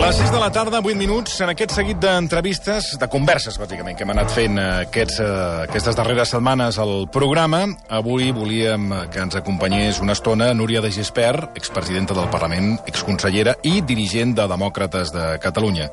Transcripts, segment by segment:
Les 6 de la tarda, 8 minuts, en aquest seguit d'entrevistes, de converses, bàsicament, que hem anat fent aquestes darreres setmanes al programa. Avui volíem que ens acompanyés una estona Núria de Gispert, expresidenta del Parlament, exconsellera i dirigent de Demòcrates de Catalunya.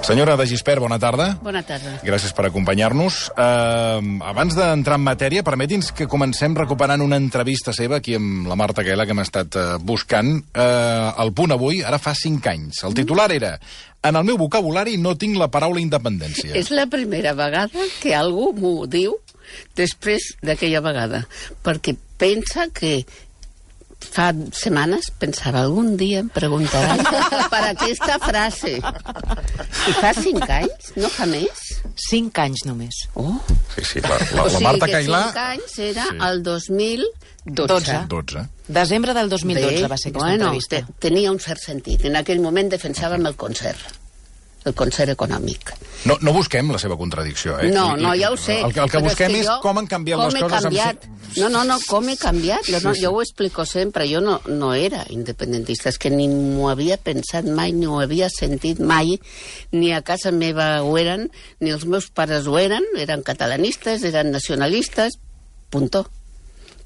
Senyora de Gispert, bona tarda. Bona tarda. Gràcies per acompanyar-nos. Abans d'entrar en matèria, permeti'ns que comencem recuperant una entrevista seva aquí amb la Marta Caela, que hem estat buscant. El Punt Avui, ara fa 5 anys. El titular era: en el meu vocabulari no tinc la paraula independència. És la primera vegada que algú m'ho diu després d'aquella vegada, perquè pensa que fa setmanes pensava algun dia em preguntaran per aquesta frase. I fa 5 anys, no fa més? 5 anys només. Oh. Sí, la Marta Caela... O sigui que 5 anys era el 2012. 12. Desembre del 2012 va ser aquesta entrevista. Tenia un cert sentit. En aquell moment defensàvem el concert econòmic. No busquem la seva contradicció, eh? No, ja ho sé. El que busquem és com han canviat les coses. Com he canviat. Jo ho explico sempre. Jo no era independentista, és que ni m'ho havia pensat mai, ni ho havia sentit mai, ni a casa meva ho eren, ni els meus pares ho eren catalanistes, eren nacionalistes, punto.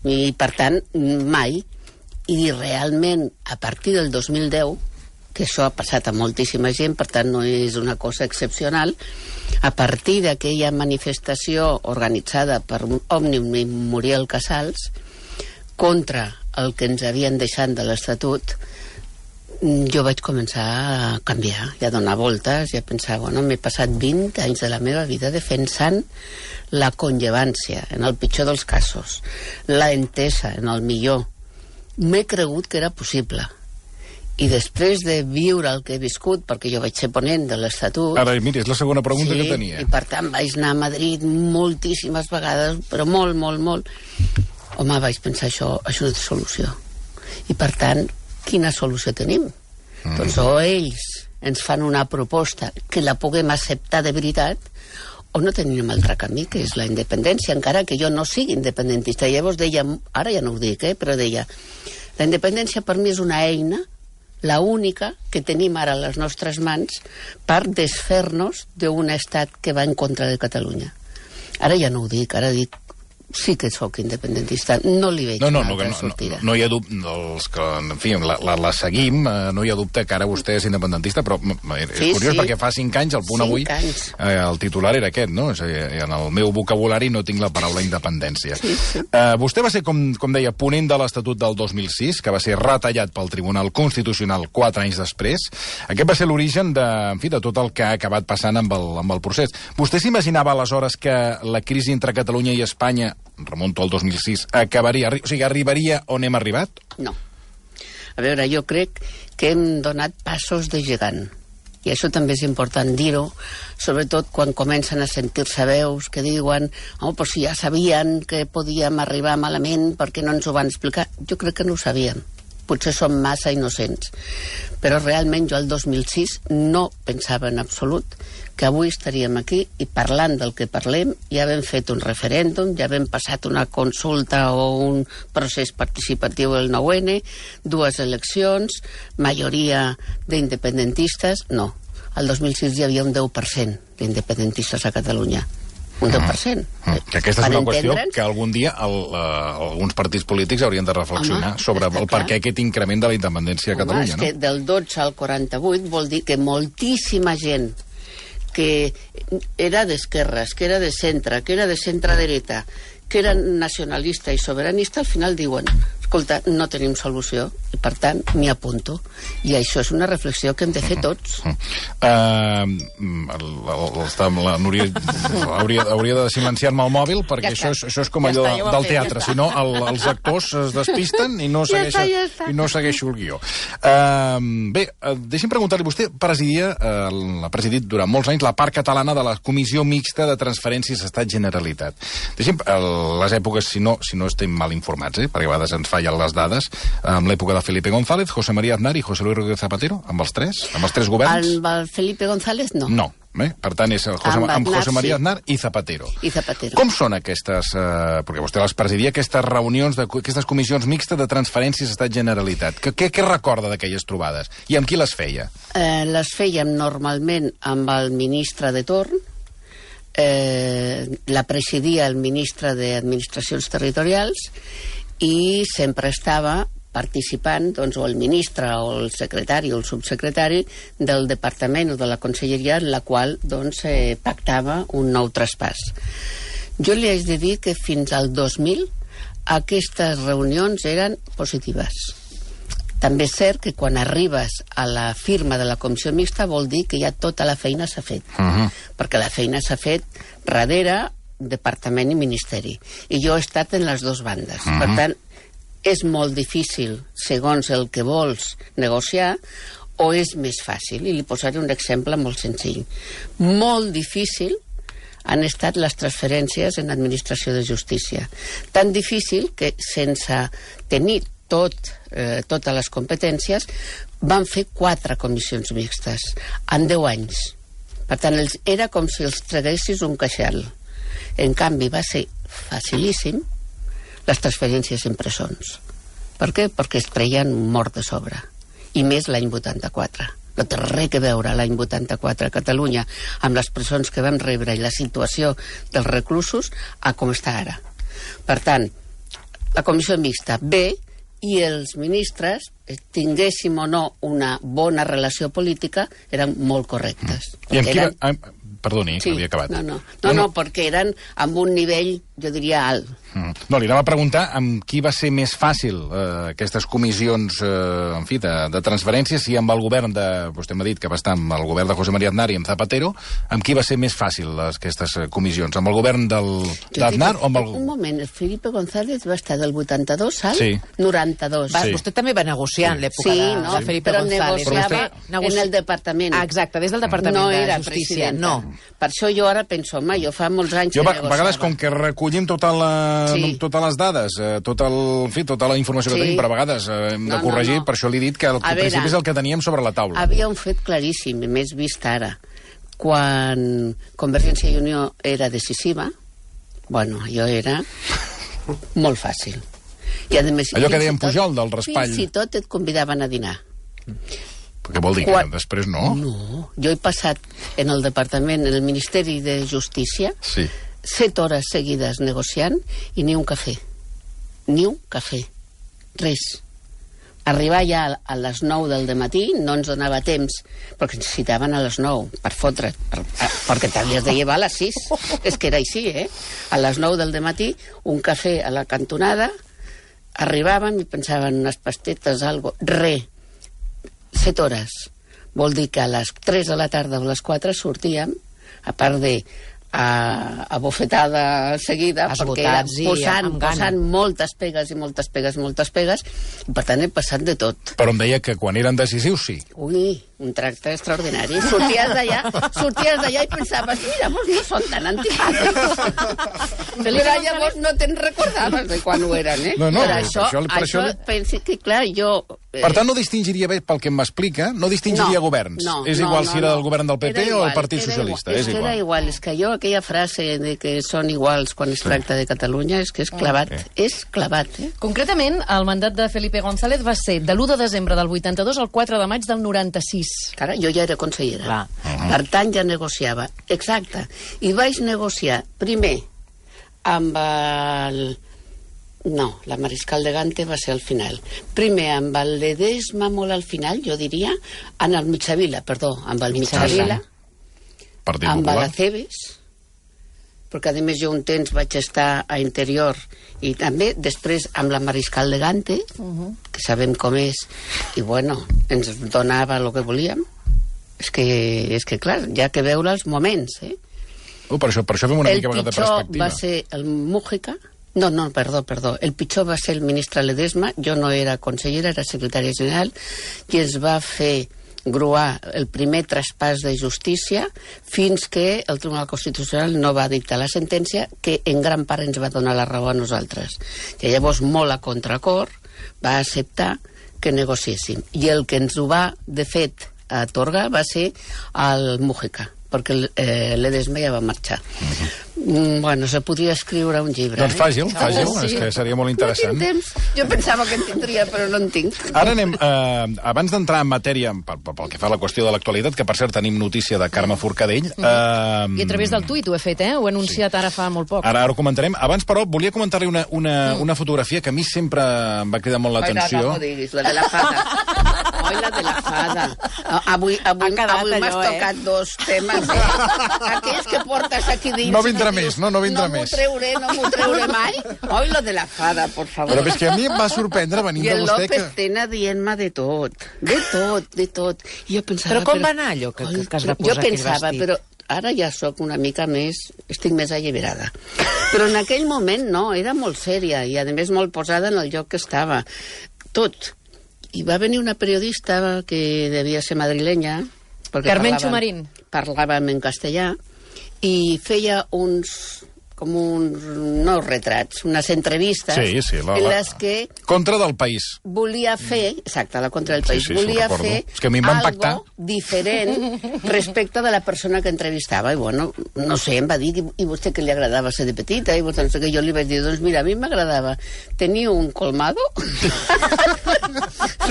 I, per tant, mai. I realment, a partir del 2010, que això ha passat a moltíssima gent, per tant no és una cosa excepcional, a partir d'aquella manifestació organitzada per Òmnium i Muriel Casals contra el que ens havien deixat de l'Estatut, jo vaig començar a canviar i a donar voltes i a pensar, m'he passat 20 anys de la meva vida defensant la conllevància, en el pitjor dels casos, la entesa, en el millor. M'he cregut que era possible. I després de viure el que he viscut, perquè jo vaig ser ponent de l'Estatut... Ara, mira, és la segona pregunta que tenia. I per tant vaig anar a Madrid moltíssimes vegades, però molt. Home, vaig pensar, això no té solució. I per tant, quina solució tenim? Doncs o ells ens fan una proposta que la puguem acceptar de veritat, o no tenim altre camí, que és la independència, encara que jo no sigui independentista. Llavors deia, ara ja no ho dic, però deia, la independència per mi és una eina, la única que tenim ara a les nostres mans per desfer-nos d'un estat que va en contra de Catalunya. Ara ja no ho dic, ara dic sí que sóc independentista, no li veig una altra sortida. No hi ha dubte, els que, en fi, la seguim, no hi ha dubte que ara vostè és independentista, però és curiós perquè fa 5 anys, al Punt Avui, el titular era aquest, no? És a dir, en el meu vocabulari no tinc la paraula independència. Vostè va ser, com deia, ponent de l'Estatut del 2006, que va ser retallat pel Tribunal Constitucional 4 anys després. Aquest va ser l'origen de tot el que ha acabat passant amb el procés. Vostè s'imaginava aleshores que la crisi entre Catalunya i Espanya, remonto al 2006, arribaria on hem arribat? No. A veure, jo crec que hem donat passos de gegant. I això també és important dir-ho, sobretot quan comencen a sentir-se veus que diuen però si ja sabien que podíem arribar malament, per què no ens ho van explicar? Jo crec que no ho sabien. Potser som massa innocents. Però realment jo el 2006 no pensava en absolut que avui estaríem aquí i parlant del que parlem. Ja vam fet un referèndum, ja vam passat una consulta o un procés participatiu del 9-N, 2 eleccions, majoria d'independentistes. No, el 2006 hi havia un 10% d'independentistes a Catalunya. Un 10%. Que aquesta és una qüestió que algun dia alguns partits polítics haurien de reflexionar sobre el per què aquest increment de la independència a Catalunya. És que del 12 al 48 vol dir que moltíssima gent que era d'esquerres, que era de centre, que era de centre-dreta, que era nacionalista i soberanista, al final diuen, escolta, no tenim solució, i per tant m'hi apunto. I això és una reflexió que hem de fer tots. La Núria hauria de silenciar-me el mòbil, perquè això és com allò del teatre, si no els actors es despisten i no segueixo el guió. Bé, deixi'm preguntar-li, vostè ha presidit durant molts anys la part catalana de la Comissió Mixta de Transferències Estat-Generalitat. Deixi'm, les èpoques, si no estem mal informats, perquè a vegades ens fallen les dades, amb l'època de Felipe González, José María Aznar i José Luis Rodríguez Zapatero, amb els tres governs? Amb el Felipe González, no. No. Per tant, és amb José María Aznar i Zapatero. Com són aquestes... Perquè vostè les presidia, aquestes reunions, aquestes comissions mixtes de transferències Estat-Generalitat. Què recorda d'aquelles trobades? I amb qui les feia? Les fèiem normalment amb el ministre de torn, la presidia el ministre d'Administracions Territorials i sempre estava participant, doncs, o el ministre, o el secretari, o el subsecretari del departament o de la conselleria en la qual, doncs, pactava un nou traspàs. Jo li haig de dir que fins al 2000 aquestes reunions eren positives. També és cert que quan arribes a la firma de la comissió mixta vol dir que ja tota la feina s'ha fet. Perquè la feina s'ha fet darrere departament i ministeri. I jo he estat en les dues bandes. Per tant, és molt difícil, segons el que vols negociar, o és més fàcil. I li posaré un exemple molt senzill. Molt difícil han estat les transferències en administració de justícia. Tan difícil que, sense tenir totes les competències, van fer 4 comissions mixtes en 10 anys. Per tant, era com si els traguessis un queixal. En canvi, va ser facilíssim les transferències en presons. Per què? Perquè es treien mort de sobre. I més l'any 84. No té res a veure l'any 84 a Catalunya amb les presons que vam rebre i la situació dels reclusos a com està ara. Per tant, la comissió mixta bé i els ministres, tinguéssim o no una bona relació política, eren molt correctes. I amb qui... Perdoni, que havia acabat. No, perquè eren amb un nivell, jo diria, alt. No, li anava a preguntar amb qui va ser més fàcil aquestes comissions, en fi, de transferències, si amb el govern de... Vostè m'ha dit que va estar amb el govern de José María Aznar i amb Zapatero, amb qui va ser més fàcil aquestes comissions? Amb el govern d'Aznar o amb el... Un moment, el Felipe González va estar del 82 al 92. Vostè també va negociar en l'època de Felipe González. Però negociava en el departament. Exacte, des del departament de Justícia. No. Per això jo ara penso, home, jo fa molts anys que negociava. A vegades, com que recollim totes les dades, tota la informació que tenim, però a vegades hem de corregir, per això li he dit que al principi és el que teníem sobre la taula. Havia un fet claríssim, més vist ara. Quan Convergència i Unió era decisiva, bueno, allò era molt fàcil. I, a més, allò que dèiem Pujol, del raspall. Fins i tot et convidaven a dinar. Què vol dir? Que després no? No. Jo he passat en el departament, en el Ministeri de Justícia, 7 hores seguides negociant i ni un cafè. Ni un cafè. Res. Arribar ja a les 9 del dematí no ens donava temps, perquè ens citaven a les 9 per fotre, perquè t'havies de llevar a les 6. És que era així, A les 9 del dematí, un cafè a la cantonada, arribàvem i pensaven unes pastetes, algo, res. 7 hores. Vol dir que a les 3 de la tarda o a les 4 sortíem, a part de a bofetada seguida, perquè era posant moltes pegues, i per tant he passat de tot. Però em deia que quan eren decisius, sí. Ui, un tracte extraordinari. Sorties d'allà i pensaves, mira, vos no són tan antipàtics. Però llavors no te'n recordaves de quan ho eren, No, per això pensi que, clar, jo... Per tant, no distingiria bé, pel que m'explica, no distingiria governs. És igual si era del govern del PP o el Partit Socialista. És igual. Era igual. És que jo, aquella frase de que són iguals quan es tracta de Catalunya, és que és clavat. És clavat, Concretament, el mandat de Felipe González va ser de l'1 de desembre del 82 al 4 de maig del 96. Cara, jo ja era consellera. Per tant, ja negociava. Exacte. I vaig negociar primer amb el... No, la Mariscal de Gante va ser al final. Primer amb el Ledesma, molt al final, jo diria, amb el Mitjavila, amb el Mitjavila, amb el Aceves, perquè a més jo un temps vaig estar a Interior, i també després amb la Mariscal de Gante, que sabem com és, i bueno, ens donava el que volíem. És que clar, ja que veure els moments, Per això fem una mica de perspectiva. El pitjor va ser el Mújica. No, perdó. El pitjor va ser el ministre Ledesma. Jo no era consellera, era secretària general, i es va fer gruar el primer traspàs de justícia fins que el Tribunal Constitucional no va dictar la sentència, que en gran part ens va donar la raó a nosaltres. Que llavors, molt a contracor, va acceptar que negociéssim. I el que ens ho va, de fet, atorgar va ser el Mújica, perquè l'Edesma ja va marxar. Bueno, se podria escriure un llibre. Doncs fàcil, és que seria molt interessant. No tinc temps. Jo pensava que en tindria, però no en tinc. Ara anem, abans d'entrar en matèria, pel que fa a la qüestió de l'actualitat, que per cert tenim notícia de Carme Forcadell... I a través del tuit ho he fet, Ho he anunciat ara fa molt poc. Ara ho comentarem. Abans, però, volia comentar-li una fotografia que a mi sempre em va cridar molt l'atenció. No m'ho diguis, la de la fada. Oi, la de la fada. Avui m'has tocat dos temes. Aquells que portes aquí dins... No vindrà més, no vindrà més. No m'ho treuré mai. Oi, la de la fada, por favor. Però és que a mi em va sorprendre venint de vostè que... I el López Tena dient-me de tot. De tot. I jo pensava... Però com va anar allò que es va posar aquell vestit? Jo pensava, però ara ja sóc una mica més... Estic més alliberada. Però en aquell moment no, era molt sèria i a més molt posada en el lloc que estava. Tot. I va venir una periodista que devia ser madrilenya... Carmen Xumarín. Parlàvem en castellà i feia no retrats, unes entrevistes en les que... Contra del País. Volia fer, exacte, la Contra del País, volia fer algo diferent respecte de la persona que entrevistava. I bueno, no sé, em va dir, i vostè que li agradava ser de petita? I vostè, no sé què, jo li vaig dir, doncs mira, a mi m'agradava tenir un colmado,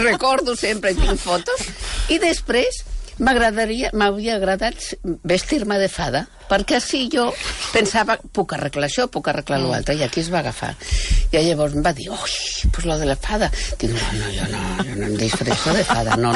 recordo sempre, tinc fotos, i després m'hauria agradat vestir-me de fada, perquè així jo pensava, puc arreglar això, puc arreglar l'altre, i aquí es va agafar. I llavors em va dir, pues lo de la fada. Dic, jo no em disfresso de fada, no.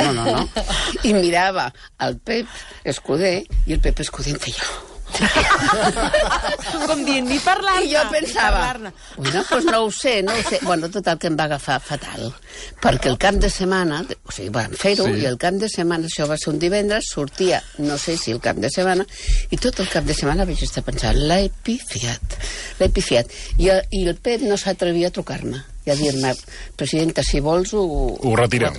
I mirava el Pep Escudé, i el Pep Escudé em feia... Com dient, ni parlar-ne. I jo pensava, bueno, pues no ho sé. Bueno, total, que em va agafar fatal, perquè el cap de setmana, o sigui, van fer-ho, i el cap de setmana, això va ser un divendres, sortia, no sé si el cap de setmana, i tot el cap de setmana vaig estar pensant, l'he pifiat. I el Pep no s'atrevia a trucar-me i a dir-me, presidenta, si vols ho retirem.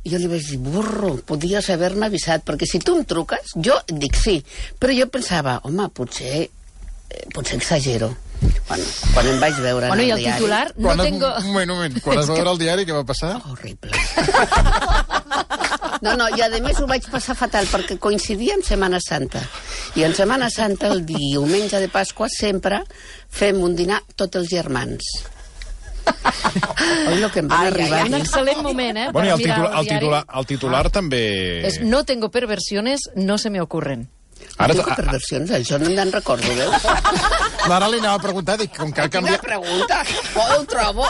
I jo li vaig dir, burro, podies haver-me avisat, perquè si tu em truques, jo dic sí, però jo pensava, home, potser exagero. Quan em vaig veure en el diari... I el titular... Un moment, quan es va veure el diari, què va passar? Horrible. No, i a més ho vaig passar fatal, perquè coincidia amb Setmana Santa. I en Setmana Santa, el diumenge de Pasqua, sempre fem un dinar tots els germans. Oi, lo que em va arribar. Un excel·lent moment, Bueno, i el titular també... És no tengo perversiones, no se me ocurren. Ara no tengo perversions, això no me'n recordo, veus? Ara li anava a preguntar, dic, com que ha canviat... Quina pregunta? Ho trobo.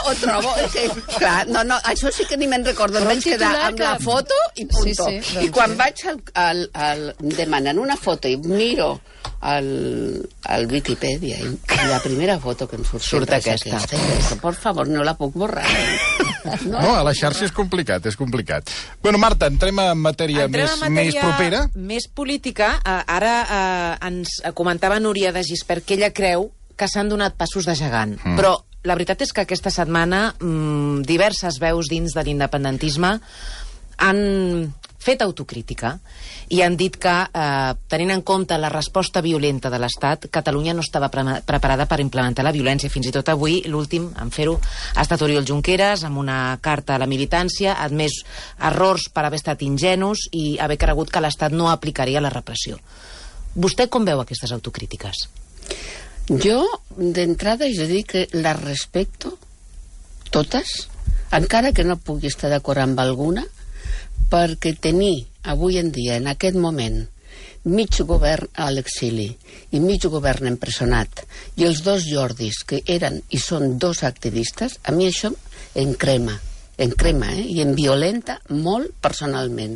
És que, clar, no, això sí que ni me'n recordo. Em vaig quedar amb la foto i punto. I quan vaig demanant una foto i miro al Wikipedia i la primera foto que em surt aquesta. Per favor, no la puc borrar. No, a la xarxa és complicat. Bueno, Marta, entrem en matèria més propera. Més política. Ara ens comentava Núria de Gispert que ella creu que s'han donat passos de gegant. Però la veritat és que aquesta setmana diverses veus dins de l'independentisme han fet autocrítica i han dit que, tenint en compte la resposta violenta de l'Estat, Catalunya no estava preparada per implementar la violència. Fins i tot avui, l'últim en fer-ho ha estat Oriol Junqueras, amb una carta a la militància, ha admès errors per haver estat ingenus i haver cregut que l'Estat no aplicaria la repressió. Vostè com veu aquestes autocrítiques? Jo, d'entrada, jo dic que les respecto totes, encara que no pugui estar d'acord amb alguna, perquè tenir avui en dia, en aquest moment, mig govern a l'exili i mig govern empresonat, i els dos Jordis, que eren i són dos activistes, a mi això em crema, i em violenta molt personalment.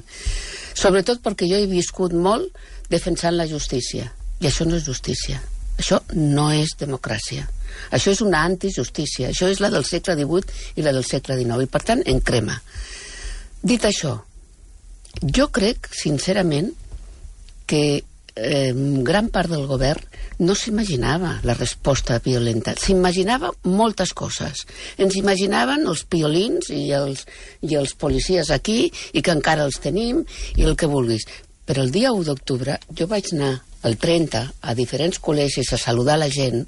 Sobretot perquè jo he viscut molt defensant la justícia, i això no és justícia. Això no és democràcia. Això és una antijustícia. Això és la del segle XVIII i la del segle XIX, i per tant em crema. Dit això, jo crec, sincerament, que gran part del govern no s'imaginava la resposta violenta. S'imaginava moltes coses. Ens imaginaven els piolins i els policies aquí, i que encara els tenim, i el que vulguis. Però el dia 1 d'octubre jo vaig anar el 30 a diferents col·legis a saludar la gent,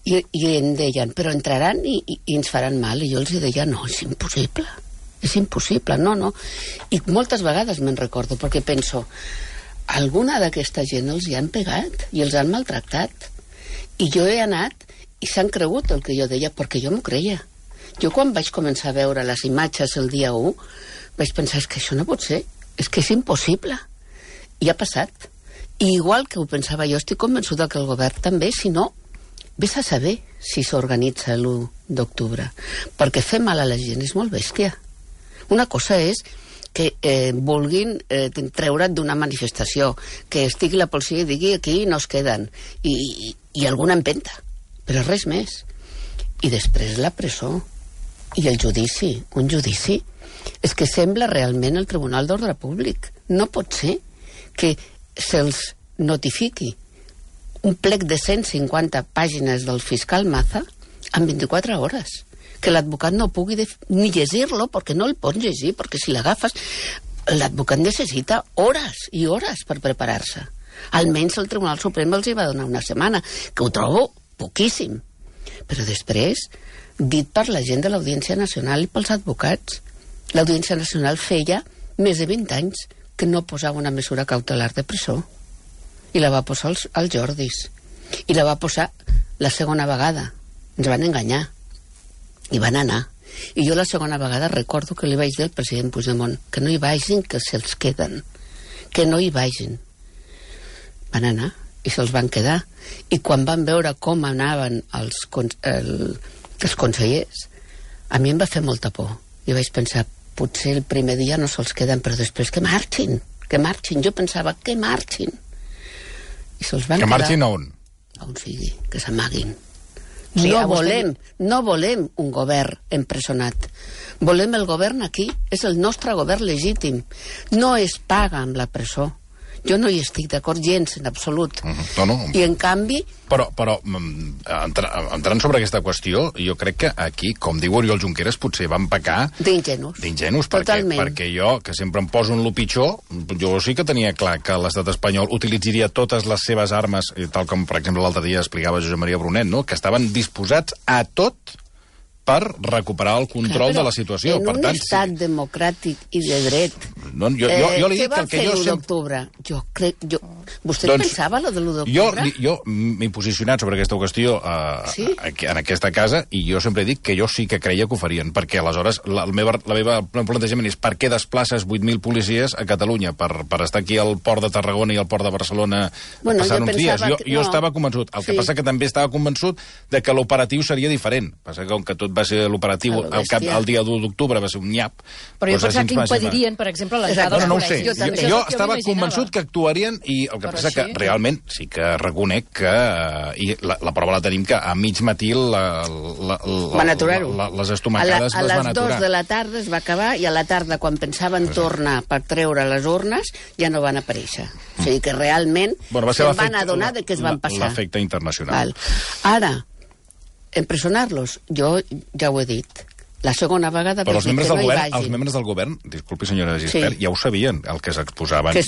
i em deien, però entraran i ens faran mal. I jo els deia, no, és impossible, no. I moltes vegades me'n recordo, perquè penso, alguna d'aquesta gent els hi han pegat i els han maltractat. I jo he anat i s'han cregut el que jo deia, perquè jo m'ho creia. Jo quan vaig començar a veure les imatges el dia 1, vaig pensar, és que això no pot ser, és que és impossible. I ha passat. I igual que ho pensava jo, estic convençuda que el govern també, si no, vés a saber si s'organitza l'1 d'octubre. Perquè fer mal a la gent és molt bèstia. Una cosa és que vulguin treure't d'una manifestació, que estigui la policia i digui aquí no es queden, i alguna empenta, però res més. I després la presó i el judici, un judici. És que sembla realment el Tribunal d'Ordre Públic. No pot ser que se'ls notifiqui un plec de 150 pàgines del fiscal Maza en 24 hores. Que l'advocat no pugui ni llegir-lo, perquè no el pot llegir, perquè si l'agafes, l'advocat necessita hores i hores per preparar-se. Almenys el Tribunal Suprem els hi va donar una setmana, que ho trobo poquíssim. Però després, dit per la gent de l'Audiència Nacional i pels advocats, l'Audiència Nacional feia més de 20 anys que no posava una mesura cautelar de presó. I la va posar als Jordis. I la va posar la segona vegada. Ens van enganyar. I van anar. I jo la segona vegada recordo que li vaig dir al president Puigdemont que no hi vagin, que se'ls queden. Que no hi vagin. Van anar i se'ls van quedar. I quan van veure com anaven els consellers, a mi em va fer molta por. I vaig pensar, potser el primer dia no se'ls queden, però després que marxin, que marxin. Jo pensava, que marxin. I se'ls van quedar. Que marxin a on? A on sigui, que s'amaguin. Sí, no volem un govern empresonat. Volem el govern aquí. És el nostre govern legítim. No es paga amb la presó. Jo no hi estic d'acord gens, en absolut. No. I en canvi... Però entrant sobre aquesta qüestió, jo crec que aquí, com diu Oriol Junqueras, potser van pecar... D'ingenus. Perquè jo, que sempre em poso en lo pitjor, jo sí que tenia clar que l'estat espanyol utilitzaria totes les seves armes, tal com, per exemple, l'altre dia explicava Josep Maria Brunet, no? Que estaven disposats a tot per recuperar el control de la situació. En un estat democràtic i de dret... Jo li dic que el que jo... Què va fer l'1 d'octubre? Jo crec... Vostè pensava lo de l'1 d'octubre? Jo m'he posicionat sobre aquesta qüestió en aquesta casa i jo sempre dic que jo sí que creia que ho farien, perquè aleshores el meu plantejament és per què desplaces 8.000 policies a Catalunya? Per estar aquí al port de Tarragona i al port de Barcelona passant uns dies. Jo estava convençut. El que passa que també estava convençut de que l'operatiu seria diferent. Passa que com que tot va ser l'operatiu el dia 1 d'octubre va ser un nyap. Però jo pensava que impedirien, per exemple, l'entrada dels col·legis. No ho sé. Jo estava convençut que actuarien i el que passa que realment sí que reconec que i la prova la tenim que a mig matí van aturar-ho. Les estomacades les van aturar. A les 2 de la tarda es va acabar i a la tarda, quan pensaven tornar per treure les urnes, ja no van aparèixer. O sigui que realment se'n van adonar de què es van passar. L'efecte internacional. Ara, empresonar-los, jo ja ho he dit, la segona vegada... Però els membres del govern, disculpi senyora Gispert, ja ho sabien, el que s'exposaven, que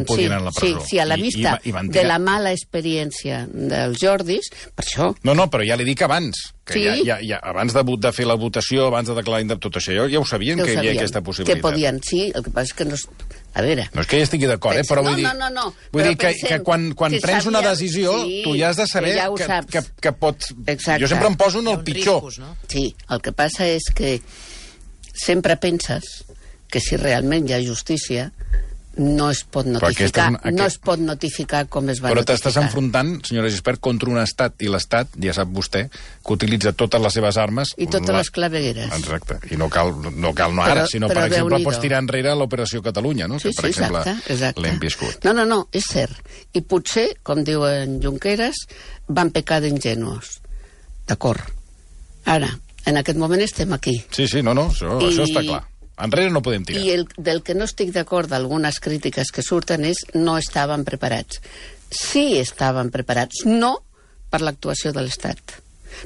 podien anar a la presó. Sí, a la vista de la mala experiència dels Jordis, per això... No, però ja li dic abans, que abans de fer la votació, abans de declarar tot això, ja ho sabien que hi havia aquesta possibilitat. Que podien, sí, el que passa és que no... A veure... No és que hi estigui d'acord, però vull dir... No. Vull dir que quan prens una decisió, tu ja has de saber que pots... Jo sempre em poso en el pitjor. Sí, el que passa és que sempre penses que si realment hi ha justícia no es pot notificar, com es va notificar. Però t'estàs enfrontant, senyora Gispert, contra un estat, i l'estat, ja sap vostè, que utilitza totes les seves armes... I totes les clavegueres. Exacte. I no cal no ara, sinó, per exemple, pots tirar enrere l'Operació Catalunya, no? Sí, que, per exemple, exacte. l'hem viscut. No, és cert. I potser, com diu en Junqueras, van pecar d'ingenus. D'acord. Ara, en aquest moment estem aquí. Sí, això està clar. Enrere no podem tirar. I del que no estic d'acord d'algunes crítiques que surten és no estaven preparats. Sí estaven preparats, no per l'actuació de l'Estat,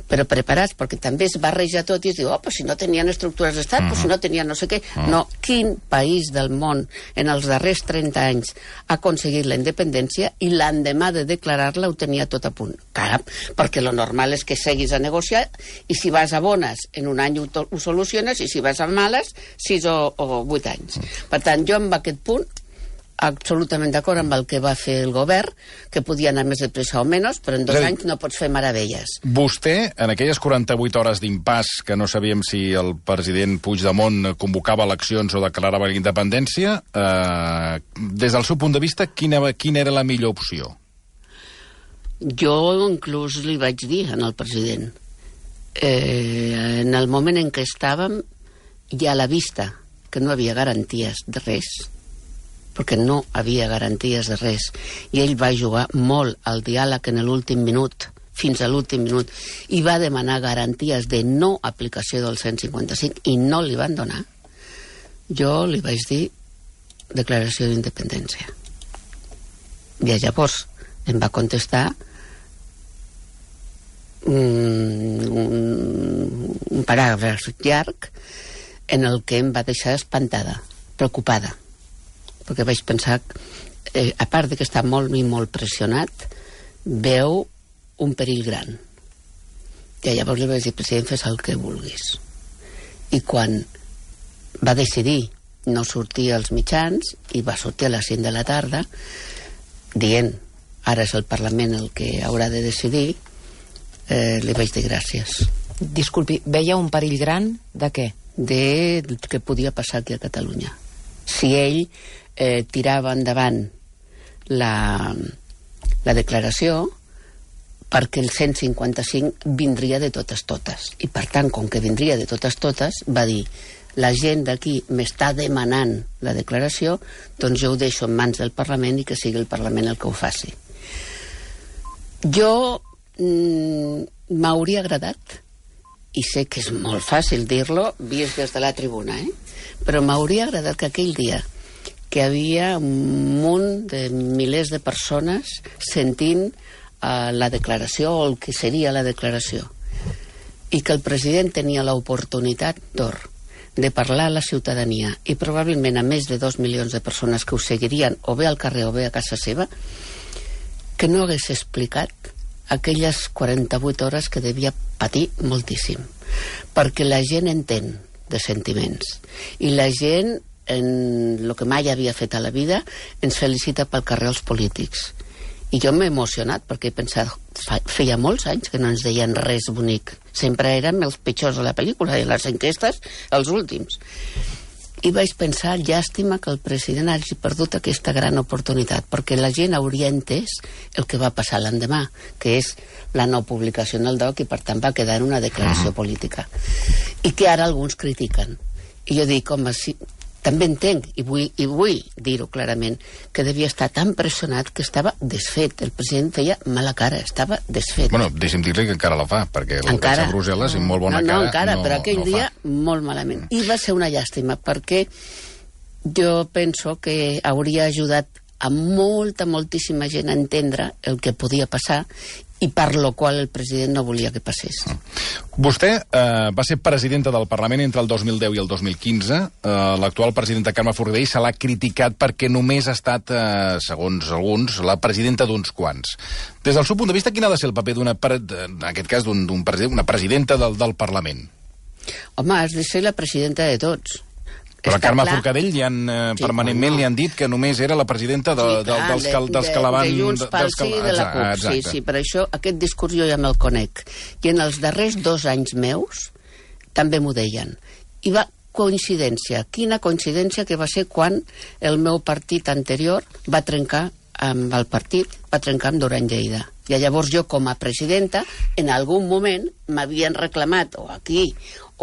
però preparats perquè també es barreja tot i es diu, pues si no tenien estructures d'estat, pues si no tenien no sé què. No, quin país del món en els darrers 30 anys ha aconseguit la independència i l'endemà de declarar-la ho tenia tot a punt? Cap, perquè lo normal és que seguis a negociar i si vas a bones en un any ho soluciones i si vas a males 6 o 8 anys. Per tant, jo amb aquest punt absolutament d'acord amb el que va fer el govern, que podia anar més de pressa o menys, però en 2 anys no pots fer meravelles. Vostè, en aquelles 48 hores d'impàs, que no sabíem si el president Puigdemont convocava eleccions o declarava la independència, des del seu punt de vista, quina era la millor opció? Jo inclús li vaig dir al president, en el moment en què estàvem, ja a la vista que no havia garanties de res, perquè no havia garanties de res, i ell va jugar molt al diàleg en l'últim minut, fins a l'últim minut, i va demanar garanties de no aplicació del 155 i no li van donar. Jo li vaig dir declaració d'independència. I llavors em va contestar un paràgraf llarg en el que em va deixar espantada, preocupada, perquè vaig pensar, a part de que està molt i molt pressionat, veu un perill gran. I llavors li vaig dir, president, fes el que vulguis. I quan va decidir no sortir als mitjans, i va sortir a les 5 de la tarda, dient, ara és el Parlament el que haurà de decidir, li vaig dir gràcies. Disculpi, veia un perill gran de què? De què podia passar aquí a Catalunya. Si ell tirava endavant la declaració, perquè el 155 vindria de totes. I per tant, com que vindria de totes, va dir, la gent d'aquí m'està demanant la declaració, doncs jo ho deixo en mans del Parlament i que sigui el Parlament el que ho faci. Jo m'hauria agradat, i sé que és molt fàcil dir-lo vist des de la tribuna, però m'hauria agradat que aquell dia que havia un munt de milers de persones sentint la declaració o el que seria la declaració, i que el president tenia l'oportunitat d'or de parlar a la ciutadania, i probablement a més de 2 milions de persones que ho seguirien o bé al carrer o bé a casa seva, que no hagués explicat aquelles 48 hores que devia patir moltíssim, perquè la gent entén de sentiments, i la gent, en el que mai havia fet a la vida, ens felicita pel carrer els polítics. I jo m'he emocionat perquè he pensat, feia molts anys que no ens deien res bonic, sempre érem els pitjors de la pel·lícula, i les enquestes els últims. I vaig pensar, llàstima que el president hagi perdut aquesta gran oportunitat, perquè la gent hauria entès el que va passar l'endemà, que és la no publicació en el DOC, i per tant va quedar en una declaració política, i que ara alguns critiquen. I jo dic, home, sí, també entenc, i vull dir-ho clarament, que devia estar tan pressionat que estava desfet. El president feia mala cara, estava desfet. Bueno, deixi'm dir-li que encara la fa, perquè el que a Brussel·les, amb molt bona cara, no encara, però aquell dia molt malament. I va ser una llàstima, perquè jo penso que hauria ajudat a moltíssima gent a entendre el que podia passar, i per lo qual el president no volia que passés. Vostè va ser presidenta del Parlament entre el 2010 i el 2015. L'actual presidenta Carme Forcadell se l'ha criticat perquè només ha estat, segons alguns, la presidenta d'uns quants. Des del seu punt de vista, quin ha de ser el paper en aquest cas, d'una presidenta del Parlament? Home, has de ser la presidenta de tots. Però a Carme Forcadell permanentment li han dit que només era la presidenta dels que la van... De Junts pel Sí i de la CUP. Sí, per això aquest discurs jo ja me'l conec. I en els darrers 2 anys meus també m'ho deien. I va coincidència. Quina coincidència que va ser quan el meu partit anterior va trencar amb el partit, va trencar amb Duran Lleida. I llavors jo, com a presidenta, en algun moment m'havien reclamat, o aquí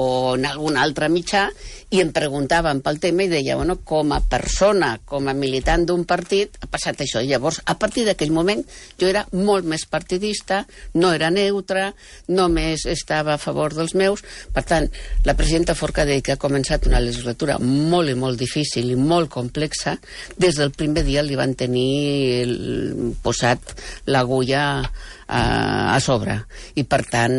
o en algun altre mitjà, i em preguntaven pel tema i deia, bueno, com a persona, com a militant d'un partit, ha passat això. I llavors, a partir d'aquell moment, jo era molt més partidista, no era neutra, només estava a favor dels meus. Per tant, la presidenta Forcadell, que ha començat una legislatura molt i molt difícil i molt complexa, des del primer dia li van tenir posat l'agulla a sobre. I per tant,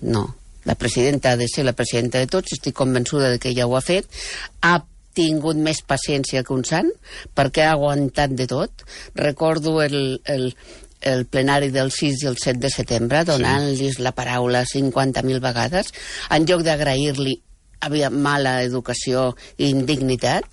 no. La presidenta ha de ser la presidenta de tots, estic convençuda de que ella ho ha fet, ha tingut més paciència que un sant, perquè ha aguantat de tot. Recordo el plenari del 6 i el 7 de setembre, donant-los la paraula 50.000 vegades, en lloc d'agrair-li havia mala educació i indignitat.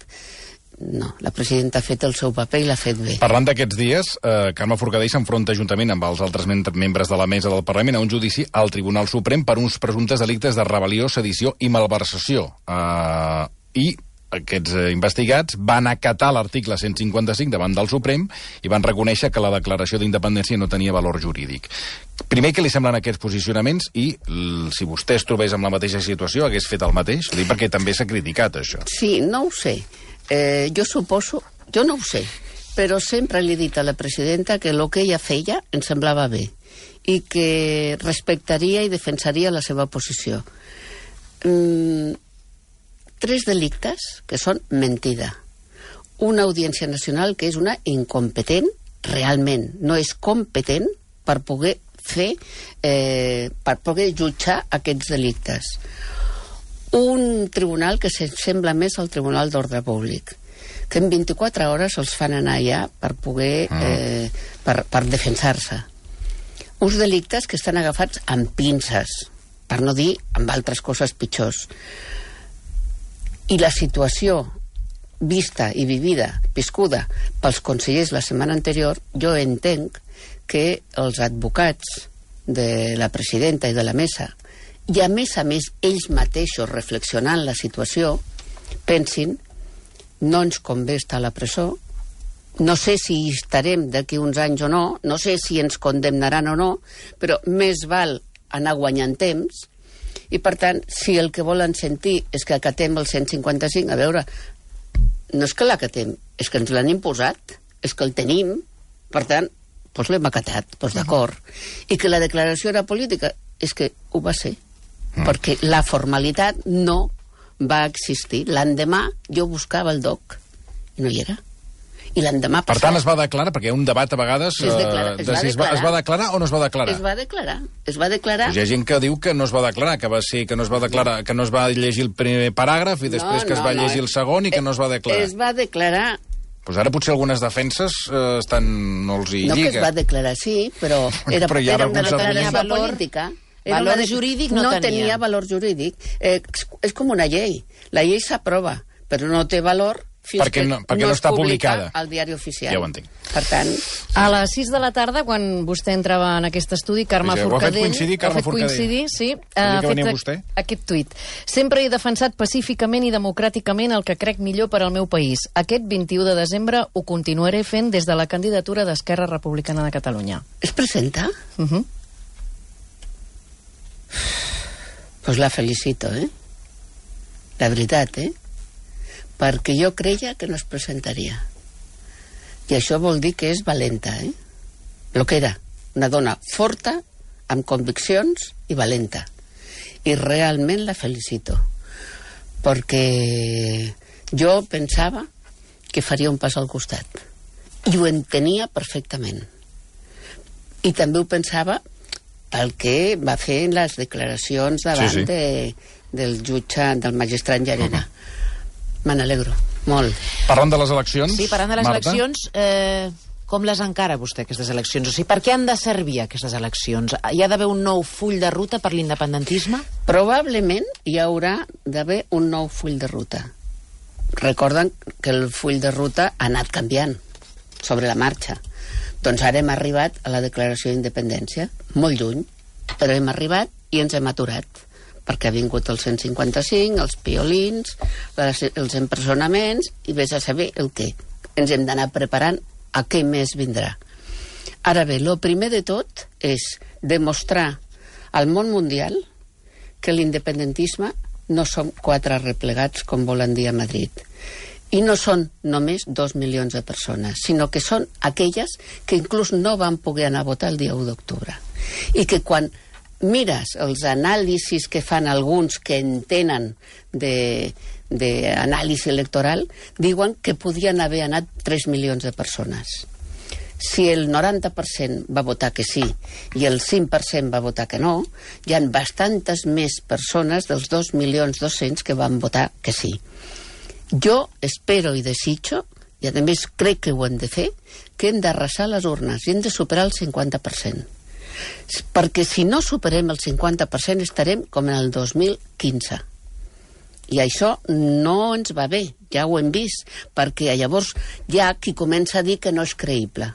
no, la presidenta ha fet el seu paper i l'ha fet bé. Parlant d'aquests dies, Carme Forcadell s'enfronta juntament amb els altres membres de la mesa del Parlament a un judici al Tribunal Suprem per uns presumptes delictes de rebel·lió, sedició i malversació. I aquests investigats van acatar l'article 155 davant del Suprem i van reconèixer que la declaració d'independència no tenia valor jurídic. Primer, què li semblen aquests posicionaments i si vostè es trobés en la mateixa situació hagués fet el mateix? Dic perquè també s'ha criticat això. Sí, no ho sé. Jo no ho sé, però sempre li he dit a la presidenta que el que ella feia em semblava bé i que respectaria i defensaria la seva posició. 3 delictes que són mentida. Una audiència nacional que és una incompetent, realment, no és competent per poder per poder jutjar aquests delictes. Un tribunal que sembla més al Tribunal d'Ordre Públic, que en 24 hores els fan anar allà per poder per defensar-se. Uns delictes que estan agafats amb pinces, per no dir amb altres coses pitjors. I la situació vista i vivida, viscuda pels consellers la setmana anterior, jo entenc que els advocats de la presidenta i de la mesa, i a més ells mateixos reflexionant la situació, pensin, no ens convé estar a la presó, no sé si hi estarem d'aquí uns anys o no, no sé si ens condemnaran o no, però més val anar guanyant temps. I, per tant, si el que volen sentir és que acatem el 155, a veure, no és que l'acatem, és que ens l'han imposat, és que el tenim, per tant, doncs l'hem acatat, doncs d'acord. I que la declaració era política, és que ho va ser, perquè la formalitat no va existir. L'endemà jo buscava el DOC i no hi era. I l'endemà passat... Per tant, es va declarar, perquè hi ha un debat a vegades de si es va declarar o no es va declarar. Es va declarar. Hi ha gent que diu que no es va declarar, que va ser que no es va declarar, que no es va llegir el primer paràgraf i després que es va llegir el segon i que no es va declarar. Es va declarar. Doncs ara potser algunes defenses no els hi lliga. No, que es va declarar, sí, però era una declaració política. Valor jurídic no tenia valor jurídic. És com una llei. La llei s'aprova, però no té valor fins perquè no està publicada al diari oficial. Ja ho entenc. Per tant... A les 6 de la tarda, quan vostè entrava en aquest estudi, Carme Forcadell... Ho ha fet coincidir, sí. Ha fet aquest tuit. Sempre he defensat pacíficament i democràticament el que crec millor per al meu país. Aquest 21 de desembre ho continuaré fent des de la candidatura d'Esquerra Republicana de Catalunya. Es presenta? Pues la felicito, La veritat, perquè jo creia que no es presentaria. I això vol dir que és valenta, Lo que era, una dona forta, amb conviccions i valenta. I realment la felicito, perquè jo pensava que faria un pas al costat. I ho entenia perfectament. I també ho pensava pel que va fer en les declaracions davant del jutge, del magistrat Llarena. Me n'alegro, molt. Parlant de les eleccions, sí, parlant de les eleccions, com les encara vostè, aquestes eleccions? O sigui, per què han de servir aquestes eleccions? Hi ha d'haver un nou full de ruta per l'independentisme? Probablement hi haurà d'haver un nou full de ruta. Recorden que el full de ruta ha anat canviant sobre la marxa. Doncs ara hem arribat a la declaració d'independència, molt lluny, però hem arribat i ens hem aturat, perquè ha vingut el 155, els piolins, els empresonaments, i vés a saber el què. Ens hem d'anar preparant a què més vindrà. Ara bé, el primer de tot és demostrar al món mundial que l'independentisme no som 4 replegats, com volen dir a Madrid. I no són només 2 milions de persones, sinó que són aquelles que inclús no van poder anar a votar el dia 1 d'octubre. I que quan mires els anàlisis que fan alguns que entenen d'anàlisi electoral, diuen que podien haver anat 3 milions de persones. Si el 90% va votar que sí i el 5% va votar que no, hi ha bastantes més persones dels 2.200.000 que van votar que sí. Jo espero i desitjo, i a més crec que ho hem de fer, que hem d'arrasar les urnes i hem de superar el 50%. Perquè si no superem el 50% estarem com en el 2015. I això no ens va bé, ja ho hem vist, perquè llavors hi ha qui comença a dir que no és creïble.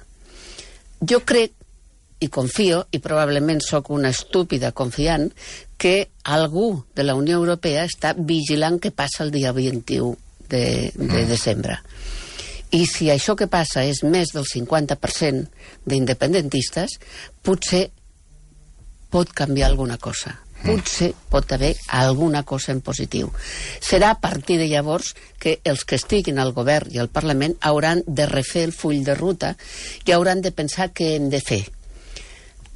Jo crec, i confio, i probablement sóc una estúpida confiant, que algú de la Unió Europea està vigilant què passa el dia 21 de desembre. I si això que passa és més del 50% d'independentistes, potser pot canviar alguna cosa. Potser pot haver alguna cosa en positiu. Serà a partir de llavors que els que estiguin al govern i al Parlament hauran de refer el full de ruta i hauran de pensar què hem de fer.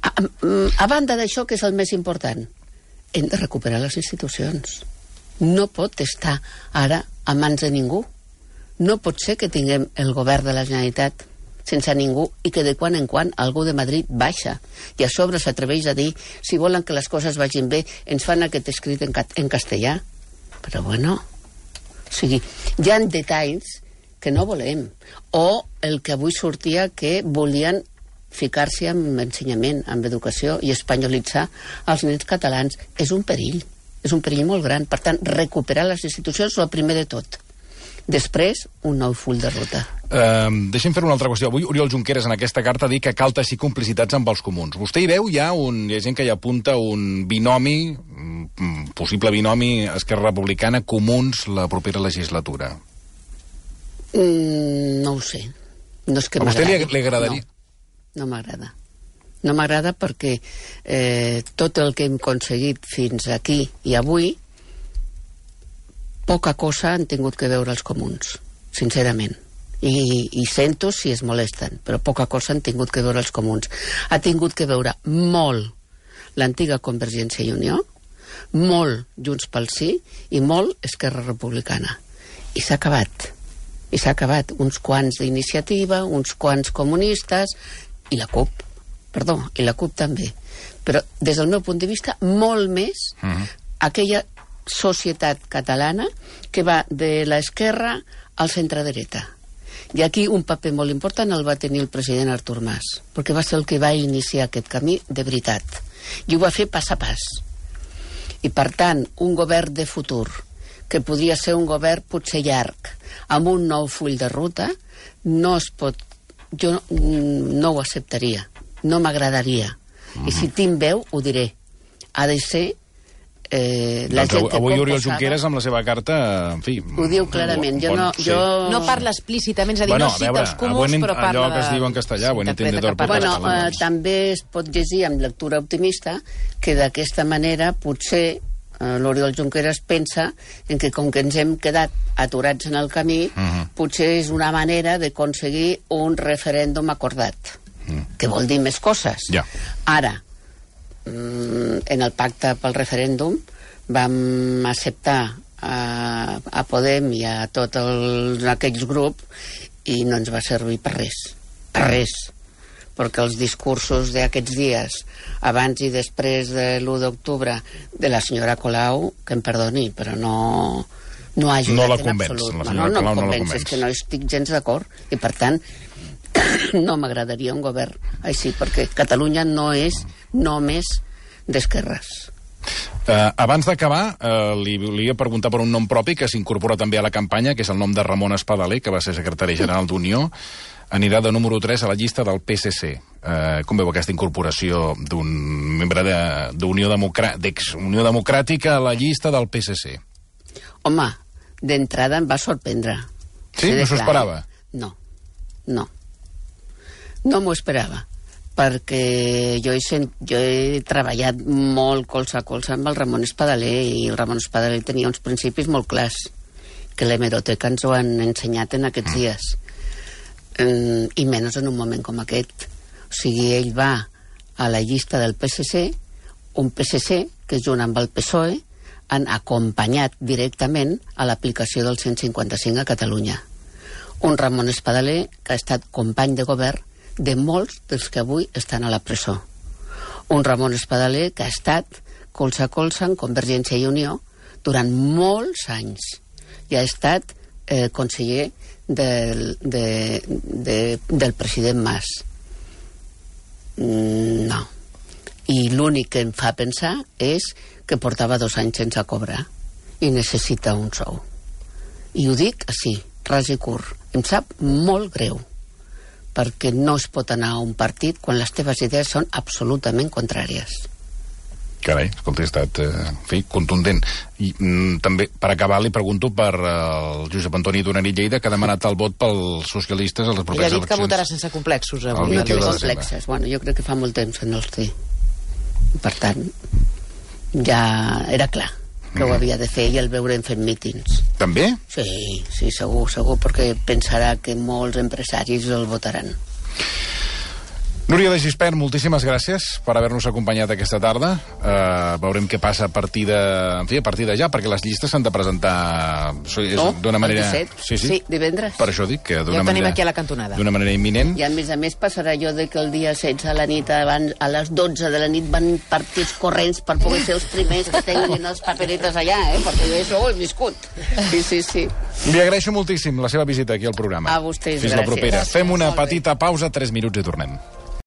A banda d'això, que és el més important, hem de recuperar les institucions. No pot estar ara a mans de ningú. No pot ser que tinguem el govern de la Generalitat sense ningú i que de quan en quan algú de Madrid baixa i a sobre s'atreveix a dir si volen que les coses vagin bé ens fan aquest escrit en castellà. Però bueno, o sigui, hi ha detalls que no volem. O el que avui sortia que volien ficar-se amb ensenyament, amb educació i espanyolitzar els nens catalans. És un perill molt gran. Per tant, recuperar les institucions és el primer de tot. Després, un nou full de ruta. Deixem fer una altra qüestió. Avui Oriol Junqueras en aquesta carta ha dit que cal teixir complicitats amb els comuns. Vostè hi veu hi ha gent que hi apunta un binomi, possible binomi Esquerra Republicana, Comuns, la propera legislatura? No ho sé. No és que a vostè li agradaria? No m'agrada. No m'agrada perquè tot el que hem aconseguit fins aquí i avui, poca cosa han tingut que veure els comuns, sincerament. I sento si es molesten, però poca cosa han tingut que veure els comuns. Ha tingut que veure molt l'antiga Convergència i Unió, molt Junts pel Sí i molt Esquerra Republicana. I s'ha acabat. I s'ha acabat. Uns quants d'Iniciativa, uns quants comunistes i la CUP. Perdó, i la CUP també. Però des del meu punt de vista, molt més aquella societat catalana que va de l'esquerra al centre-dreta. I aquí un paper molt important el va tenir el president Artur Mas, perquè va ser el que va iniciar aquest camí de veritat. I ho va fer pas a pas. I per tant, un govern de futur, que podria ser un govern potser llarg, amb un nou full de ruta, no es pot... Jo no ho acceptaria, no m'agradaria. I si tinc veu, ho diré. Ha de ser la gent que avui Oriol Junqueras amb la seva carta, en fi... Ho diu clarament. No parla explícitament, és a dir, no cita els comuns, però parla... Allò que es diu en castellà, ho entiende tot el català. També es pot llegir amb lectura optimista que d'aquesta manera potser l'Oriol Junqueras pensa en que com que ens hem quedat aturats en el camí, potser és una manera d'aconseguir un referèndum acordat, que vol dir més coses. Ara, en el pacte pel referèndum vam acceptar a Podem i a tots aquells grups i no ens va servir per res, perquè els discursos d'aquests dies abans i després de l'1 d'octubre de la senyora Colau, que em perdoni, però no ha ajudat en absolut. No em convenç, és que no estic gens d'acord i per tant no m'agradaria un govern així, perquè Catalunya no és només d'esquerres. Abans d'acabar, li volia preguntar per un nom propi que s'incorpora també a la campanya, que és el nom de Ramon Espadaler, que va ser secretari general d'Unió. Anirà de número 3 a la llista del PSC. Com veu aquesta incorporació d'un membre d'Unió Democràtica a la llista del PSC? Home, d'entrada em va sorprendre. Sí? No s'ho esperava? No. No m'ho esperava, perquè jo he treballat molt colze a colze amb el Ramon Espadaler i el Ramon Espadaler tenia uns principis molt clars que l'hemeroteca ens ho han ensenyat en aquests dies. I menys en un moment com aquest. O sigui, ell va a la llista del PSC, un PSC que junt amb el PSOE han acompanyat directament a l'aplicació del 155 a Catalunya. Un Ramon Espadaler que ha estat company de govern de molts dels que avui estan a la presó. Un Ramon Espadaler que ha estat colze a colze en Convergència i Unió durant molts anys i ha estat conseller del president Mas. No. I l'únic que em fa pensar és que portava 2 anys sense cobrar i necessita un sou. I ho dic així, ras i curt. Em sap molt greu, perquè no es pot anar a un partit quan les teves idees són absolutament contràries. Carai, escolta, ha estat, contundent. I també, per acabar, li pregunto per el Josep Antoni Dunarit Lleida, que ha demanat el vot pels socialistes a les properes eleccions. I ha dit que votarà sense complexos. El 21 de desembre. Bueno, jo crec que fa molt temps que no els té. Per tant, ja era clar que ho havia de fer i el veurem fent mítings. També? Sí, segur, perquè pensarà que molts empresaris el votaran. Núria de Gispert, moltíssimes gràcies per haver-nos acompanyat aquesta tarda. Veurem què passa a partir de ja, perquè les llistes s'han de presentar d'una manera... el 17? Sí, divendres. Per això dic que d'una manera... Ja ho tenim aquí a la cantonada. D'una manera imminent. I a més passarà allò de que el dia 16 a la nit, abans, a les 12 de la nit, van partits corrents per poder ser els primers que tinguin els paperetes allà, perquè jo això ho he viscut. Sí. Li agraeixo moltíssim la seva visita aquí al programa. A vostès, Fins la propera. Gràcies. Fem una petita pausa, 3 minuts i tornem.